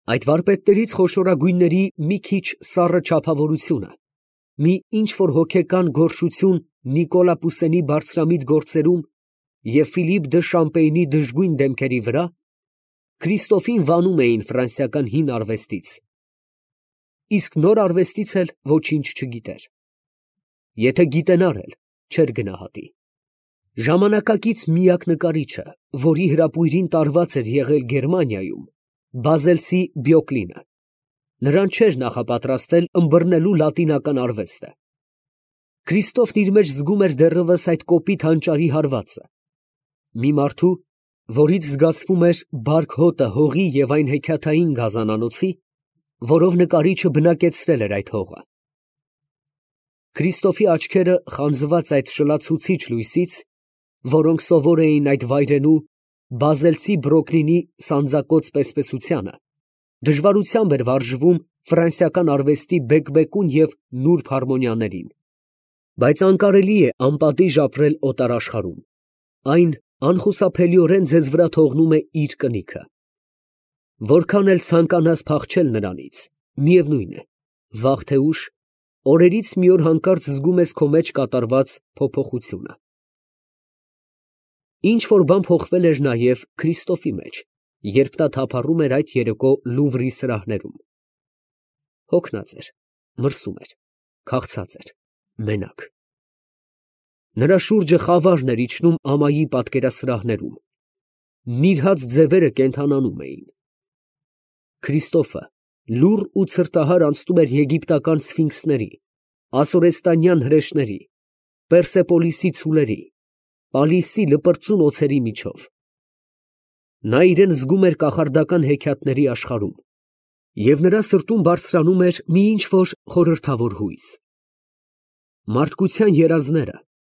Այդ վարպետներից խոշորագույնների մի քիչ սառը չափավորությունը, մի ինչ֊որ հոգեկան գոռշություն Նիկոլա Պուսենի բարձրամիտ գործերում և Ֆիլիպ դը Շամպեյնի դժգույն դեմքերի վրա Քրիստոֆին վանում էին ֆրանսիական հին արվեստից, իսկ նոր արվեստից էլ ոչինչ չգիտեր. եթե գիտենար էլ, չէր գնահատի։ Ժամանակակից միակ նկարիչը, որի հրապույրին տարված էր եղել Գերմանիայում, բազելցի Բյոկլինը, նրան չէր նախապատրաստել ըմբռնելու լատինական արվեստը։ Քրիստոֆն իր մեջ զգում էր դեռևս այդ կոպիտ հանճարի հարվածը, մի մարդու, որից զգացվում էր բարք հոտը հողի և այն հեքիաթային գազանանոցի, որով նկարիչը բնակեցրել էր այդ հողը։ Քրիստոֆի աչքերը խանձված այդ շլացուցիչ լույսից, որոնք սովոր էին այդ վայրենու բազելցի Բրոկլինի սանձակոծ պես֊պեսությանը, դժվարությամբ էր վարժվում ֆրանսիական արվեստի բեկբեկուն և նուրբ հարմոնիաներին, բայց անկարելի է անպատիժ ապրել օտարաշխարհում, այն անխուսափելիորեն ձեզ վրա թողնում է իր կնիքը։ Որքան էլ ցանկանաս փախչել նրանից, միևնույն է, վաղ թե ուշ, օրերից մի օր հանկարծ զգում ես քո մեջ կատարված փոփոխությունը։ Ինչ֊որ բան փոխվել էր նաև Քրիստոֆի մեջ, երբ նա թափառում էր այդ երեկո Լուվրի սրահներում։ Հոգնած էր, մրսում էր, քաղցած էր, մենակ։ Նրա շուրջը խավարն էր իջնում ամայի պատկերասրահներում, նիրհած ձևերը կենդանանում էին։ Քրիստոֆը լուռ ու ցրտահար անցնում էր եգիպտական սֆինքսների, ասորեստանյան հրեշների, Պերսեպոլիսի ցուլերի, Պալիսի լպրծուն օձերի միջով։ Նա իրան զգում էր կախարդական հեքիաթների աշխարհում, և նրա սրտում բարձրանում էր մի ինչ֊որ խորհրդավոր հույս։ Մարդկության երազները,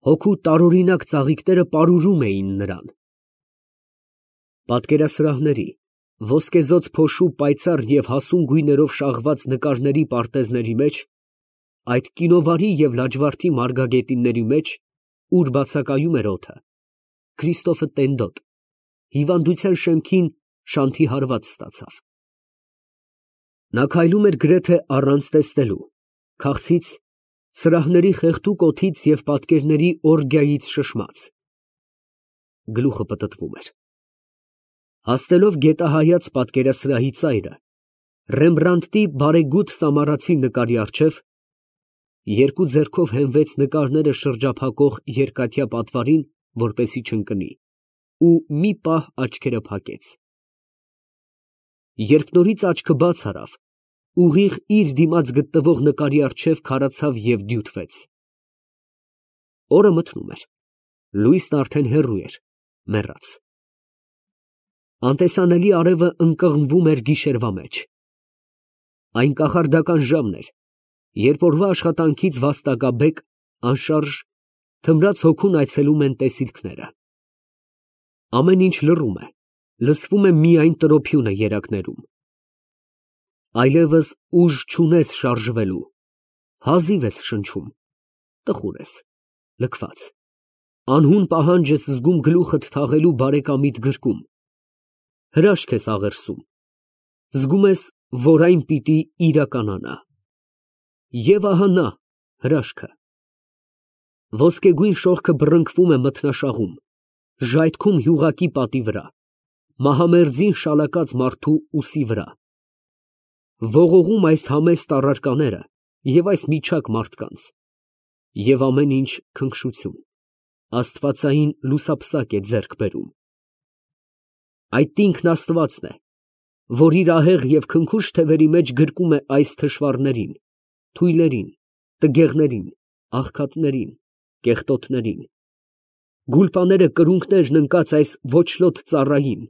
հոգու տարօրինակ ծաղիկները պարուրում էին նրան։ Պատկերասրահների, ոսկեզօծ փոշու պայծառ և հասուն գույներով շաղված նկարների պարտեզների մեջ, այդ կինովարի և լաջվարդի մարգագետինների մեջ, ուր բացակայում էր օդը, Քրիստոֆը տենդոտ, հիվանդության շեմքին շանթի հարված ստացավ։ Նա քայլում էր գրեթե առանց տեսնելու, քաղցից, սրահների խեղդուկ օդից և պատկերների օրգիայից շշմած։ Գլուխը պտտվում էր։ Հասնելով գետահայաց պատկերասրահի ծայրը, Ռեմբրանդտի բարեգութ սամարացի նկարի առջև, երկու ձեռքով հենվեց նկարները շրջափակող երկաթյա պատվարին, որպեսզի չընկնի, ու մի պահ աչքերը փակեց։ Երբ նորից աչքը բաց արավ, ուղիղ իր դիմաց գտնվող նկարի առջև քարացավ և դյութվեց։ Օրը մթնում էր, լույսն արդեն հեռու էր, մեռած։ Անտեսանելի արևը ընկղմվում էր գիշերվա մեջ։ Այն կախարդական ժամն էր, երբ օրվա աշխատանքից վաստակաբեկ, անշարժ, թմրած հոգուն այցելում են տեսիլքները։ Ամեն ինչ լռում է, լսվում է միայն տրոփյունը երակներում։ Այլևս ուժ չունես շարժվելու, հազիվ ես շնչում, տխուր ես, լքված, անհուն պահանջ ես զգում գլուխդ թաղելու բարեկամիդ գրկում, հրաշք ես աղերսում, զգում ես, որ այն պիտի իրականանա։ Եվ ահա նա, հրաշքը։ Ոսկեգույն շողքը բռնկվում է մթնաշաղում, ժայթքում յուղակի պատի վրա, մահամերձին շալակած մարդու ուսի վրա։ Ողողում այս համեստ առարկաները և այս միջակ մարդկանց, և ամեն ինչ քնքշություն, աստվածային լուսափսակ է ձեռք բերում։ Այդ ինքն Աստվածն է, որ իր ահեղ և քնքուշ թևերի մեջ գրկում է այս թշվառներին, թույլերին, տգեղներին, աղքատներին, կեղտոտներին, գուլպաները կրունկներն ընկած այս ոչլոտ ծառային,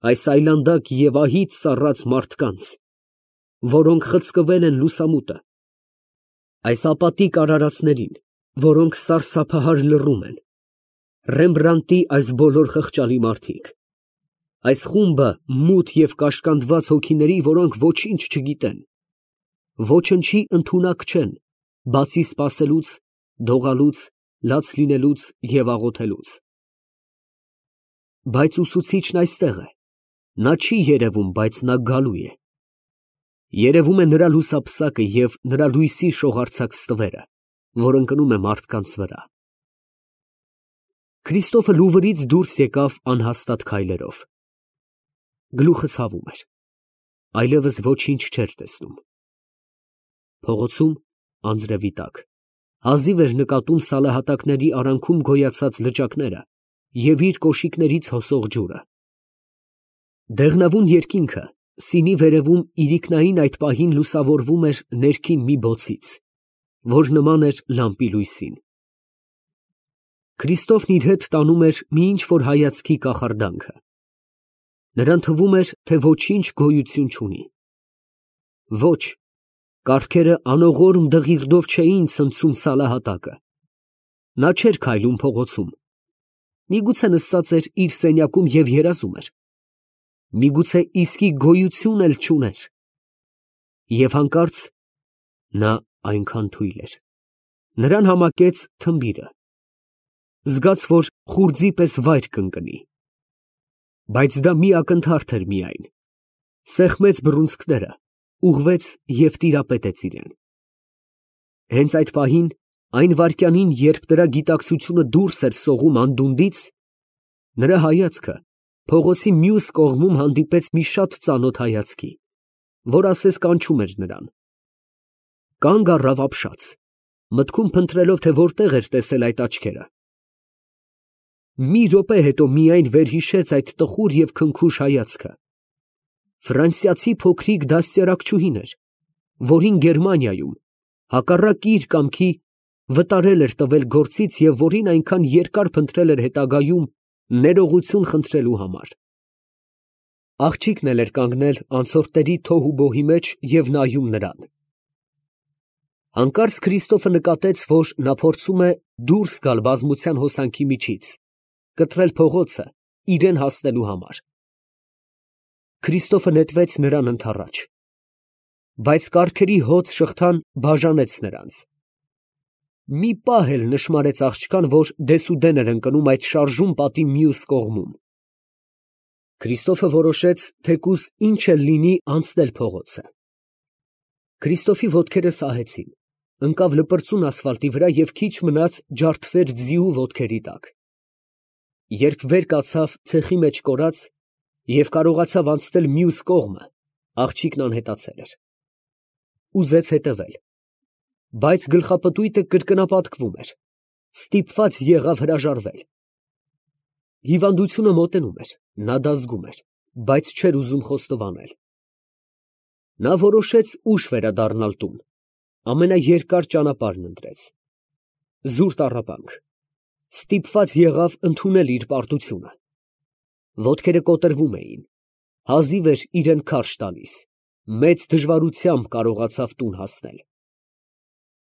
այս այլանդակ և ահից սառած մարդկանց, որոնք խցկվել են լուսամուտը, այս ապատիկ արարածներին, որոնք սարսափահար լռում են, Ռեմբրանդտի այս բոլոր խղճալի մարդիկ, այս խումբը մութ և կաշկանդված հոգիների, որոնք ոչինչ չգիտեն, ոչնչի ընդունակ չեն, բացի սպասելուց, դողալուց, լաց լինելուց և աղոթելուց։ Բայց ուսուցիչն այստեղ է, Նա չի երևում, բայց նա գալու է։ Երևում է նրա լուսափսակը և նրա լույսի շողարձակ ստվերը, որ ընկնում է մարդկանց վրա։ Քրիստոֆը Լուվրից դուրս եկավ անհաստատ քայլերով։ Գլուխը ցավում էր, այլևս ոչինչ չէր տեսնում։ Փողոցում անձրևի տակ հազիվ էր նկատում սալահատակների արանքում գոյացած լճակները և իր կոշիկներից հոսող ջուրը։ Դեղնավուն երկինքը սինի վերևում իրիկնային այդ պահին լուսավորվում էր ներքին մի բոցից, որ նման էր լամպի լույսին։ Քրիստոֆն իր հետ տանում էր մի ինչ֊որ հայացքի կախարդանքը։ Նրան թվում էր, թե ոչինչ գոյություն չունի։ Ոչ, կառքերը անողորմ դղիրդով չէին ցնցում սալահատակը։ Նա չէր քայլում փողոցում։ Միգուցե նստած էր իր սենյակում և երազում էր։ Միգուցե իսկի գոյություն էլ չուներ։ Եվ հանկարծ նա այնքան թույլ էր։ Նրան համակեց թմբիրը։ Զգաց, որ խուրձի պես վայր կընկնի։ Բայց դա մի ակնթարթ էր միայն։ Սեղմեց բռունցքները, ուղղվեց և տիրապետեց իրան։ Հենց այդ պահին, այն վայրկյանին, երբ նրա գիտակցությունը դուրս էր սողում անդունդից, նրա հայացքը փողոցի մյուս կողմում հանդիպեց մի շատ ծանոթ հայացքի, որ ասես կանչում էր նրան։ Կանգ առավ ապշած, մտքում փնտրելով, թե որտեղ էր տեսել այդ աչքերը։ Մի րոպե հետո միայն վերհիշեց այդ տխուր և քնքուշ հայացքը։ Ֆրանսիացի փոքրիկ դաստիարակչուհին էր, որին Գերմանիայում, հակառակ իր կամքի, վտարել էր տվել գործից և որին այնքան երկար փնտրել էր հետագայում ներողություն խնդրելու համար։ Աղջիկն էլ էր կանգնել անցորդների թոհուբոհի մեջ և նայում նրան։ Հանկարծ Քրիստոֆը նկատեց, որ նա փորձում է դուրս գալ բազմության հոսանքի միջից, կտրել փողոցը իրան հասնելու համար։ Քրիստոֆը նետվեց նրան ընդառաջ, բայց կառքերի հոծ շղթան բաժանեց նրանց։ Մի պահ էլ նշմարեց աղջկան, որ դեսուդեն էր ընկնում այդ շարժուն պատի մյուս կողմում։ Քրիստոֆը որոշեց թեկուզ ինչ էլ լինի անցնել փողոցը։ Քրիստոֆի ոտքերը սահեցին, ընկավ լպրծուն ասֆալտի վրա և քիչ մնաց ջարդվեր ձիու ոտքերի տակ։ Երբ վեր կացավ ցեխի մեջ կորած և կարողացավ անցնել մյուս կողմը, աղջիկն անհետացել էր։ Ուզեց հետևել, բայց գլխապտույտը կրկնապատկվում էր, ստիպված եղավ հրաժարվել։ Հիվանդությունը մոտենում էր, նա դա զգում էր, բայց չէր ուզում խոստովանել։ Նա որոշեց ուշ վերադառնալ տուն, ամենաերկար ճանապարհն ընտրեց։ Զուր տառապանք, ստիպված եղավ ընդունել իր պարտությունը։ Ոտքերը կոտրվում էին, հազիվ էր իրան քարշ տալիս, մեծ դժվարությամբ կարողացավ տուն հասնել։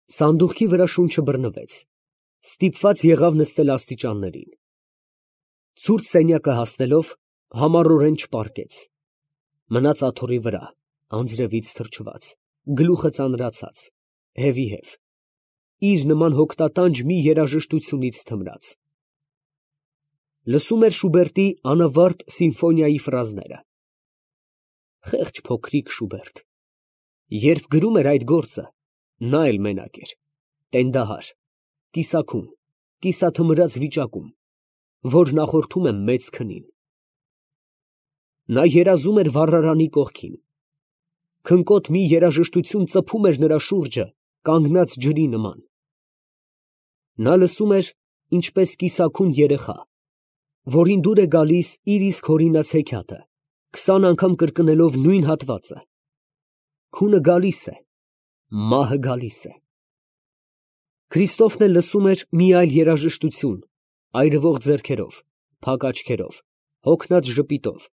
Սանդուղքի վրա շունչը բռնվեց, ստիպված եղավ նստել աստիճաններին։ Ցուրտ սենյակը հասնելով, համառորեն չպառկեց։ Մնաց աթոռի վրա, անձրևից թրջված, գլուխը ծանրացած, հևիհև, իր նման հոգնատանջ մի երաժշտությունից թմրած։ Լսում էր Շուբերտի անավարտ սիմֆոնիայի ֆրազները։ Խեղճ փոքրիկ Շուբերտ, երբ գրում էր այդ գործը, նա էլ մենակ էր, տենդահար, կիսաքուն, կիսաթմրած վիճակում, որ նախորդում է մեծ քնին։ Նա երազում էր վառարանի կողքին։ Քնկոտ մի երաժշտություն ծփում էր նրա շուրջը կանգնած ջրի նման։ Նա լսում էր, ինչպես կիսաքուն երեխա, որին դուր է գալիս իր իսկ հորինած հեքիաթը, 20 անգամ կրկնելով նույն հատվածը. քունը գալիս է, մահը գալիս է։ Քրիստոֆն էլ լսում էր մի այլ երաժշտություն, այրվող ձեռքերով, փակ աչքերով, հոգնած ժպիտով,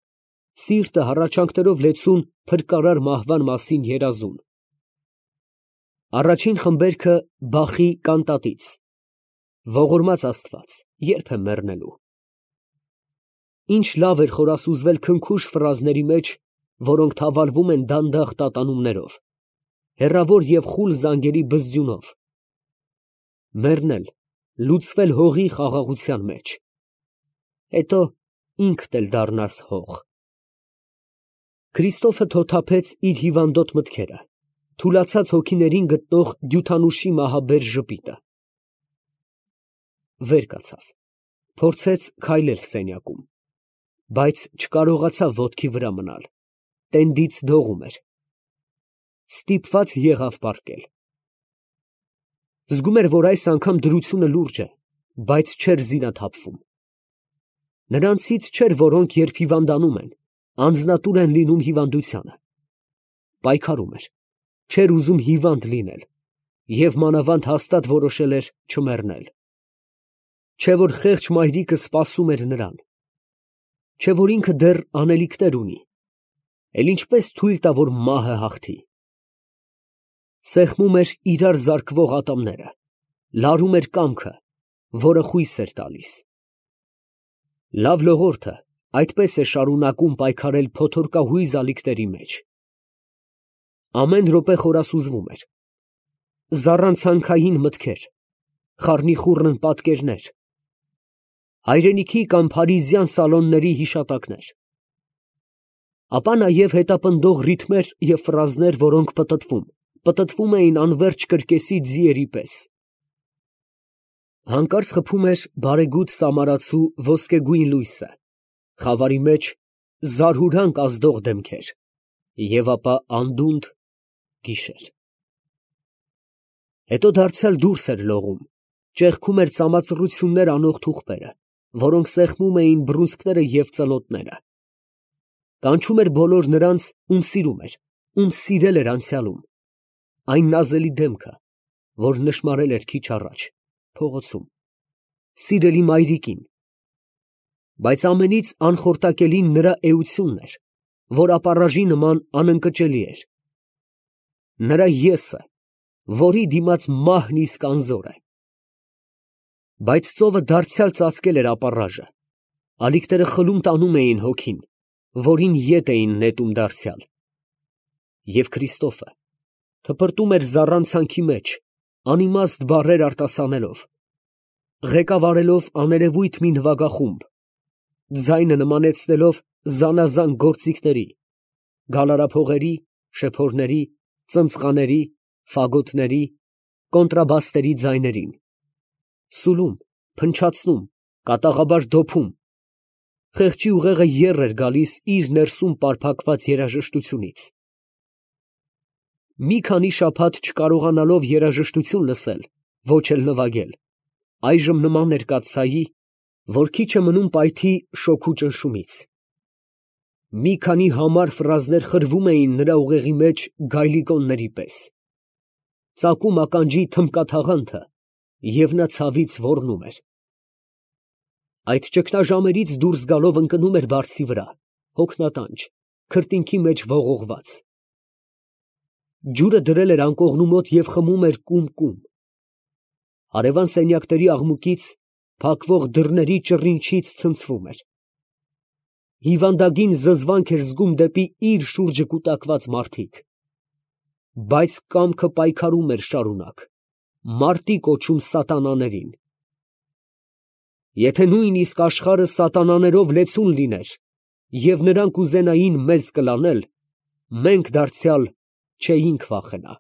սիրտը հառաչանքներով լեցուն փրկարար մահվան մասին երազում։ Առաջին խմբերքը Բախի կանտատից, ողորմած Աստված, ե՞րբ եմ մեռնելու։ Ինչ լավ էր խորասուզվել քնքուշ ֆրազների մեջ, որոնք թավալվում են դանդաղ տատանումներով, հեռավոր և խուլ զանգերի բզձյունով։ Մեռնել, լուծվել հողի խաղաղության մեջ, հետո ինքդ էլ դառնաս հող։ Քրիստոֆը թոթափեց իր հիվանդոտ մտքերը, թուլացած հոգիներին գտնող դյութանուշի մահաբեր ժպիտը։ Վեր կացավ, փորձեց քայլել սենյակում, բայց չկարողացավ ոտքի վրա մնալ, տենդից դողում էր։ Ստիպված եղավ պառկել։ Զգում էր, որ այս անգամ դրությունը լուրջ է, բայց չէր զինաթափվում։ Նրանցից չէր, որոնք երբ հիվանդանում են, անձնատուր են լինում հիվանդությանը։ Պայքարում էր, չէր ուզում հիվանդ լինել և մանավանդ հաստատ որոշել էր չմեռնել։ Չէ որ խեղճ մայրիկը սպասում էր նրան։ Չէ որ ինքը դեռ անելիքներ ունի, էլ ինչպես թույլ տա, որ մահը հաղթի։ Սեղմում էր իրար զարկվող ատամները, լարում էր կամքը, որը խույս էր տալիս։ Լավ լողորդը այդպես է շարունակում պայքարել փոթորկահույզ ալիքների մեջ։ Ամեն րոպե խորասուզվում էր։ Զառանցանքային մտքեր, խառնիխուռն պատկերներ, հայրենիքի կամ փարիզյան սալոնների հիշատակներ։ Ապա նաև հետապնդող ռիթմեր և ֆրազներ, որոնք պտտվում էին անվերջ կրկեսի ձիերի պես։ Հանկարծ խփում էր բարեգութ սամարացու ոսկեգույն լույսը, խավարի մեջ զարհուրանք ազդող դեմքեր, և ապա անդունդ գիշեր։ Հետո դարձյալ դուրս էր լողում, ճեղքում էր ծամածռություններ անող թուղթերը, որոնք սեղմում էին բռունցքները և ծլոտները։ Կանչում էր բոլոր նրանց, ում սիրում էր, ում սիրել էր անցյալում, այն նազելի դեմքը, որ նշմարել էր քիչ առաջ, փողոցում, սիրելի մայրիկին։ Բայց ամենից անխորտակելին նրա էությունն էր, որ ապառաժի նման անընկճելի էր։ Նրա եսը, որի դիմաց մահն իսկ անզոր է։ Բայց ծովը դարձյալ ծածկել էր ապառաժը, ալիքները խլում տանում էին հոգին, որին ետ էին նետում դարձյալ։ Եվ Քրիստոֆը թպրտում էր զառանցանքի մեջ, անիմաստ բառեր արտասանելով, ղեկավարելով աներևույթ մի նվագախումբ, ձայնը նմանեցնելով զանազան գործիքների, գալարափողերի, շեփորների, ծնծղաների, ֆագոտների, կոնտրաբասների ձայներին, սուլում, փնչացնում, կատաղաբար դոփում։ Խեղճի ուղեղը եռ էր գալիս իր ներսում պարփակված երաժշտությունից։ Մի քանի շաբաթ չկարողանալով երաժշտություն լսել, ոչ էլ նվագել, այժմ նման էր կաթսայի, որ քիչ է մնում պայթի շոգու ճնշումից։ Մի քանի համար ֆրազներ խրվում էին նրա ուղեղի մեջ գայլիկոնների պես։ Ծակում ականջի թմբկաթաղանթը, և նա ցավից ոռնում էր։ Այդ ճգնաժամերից դուրս գալով ընկնում էր բարձի վրա, հոգնատանջ, քրտինքի մեջ ողողված։ Ջուրը դրել էր անկողնու մոտ և խմում էր կում֊կում։ Հարևան սենյակների աղմուկից, փակվող դռների ճռինչից ցնցվում էր։ Հիվանդագին զզվանք էր զգում դեպի իր շուրջը կուտակված մարդիկ։ Բայց կամքը պայքարում էր շարունակ, մարտի կոչում սատանաներին։ Եթե նույնիսկ աշխարհը սատանաներով լեցուն լիներ, և նրանք ուզենային մեզ կլանել, մենք դարձյալ չէինք վախենա։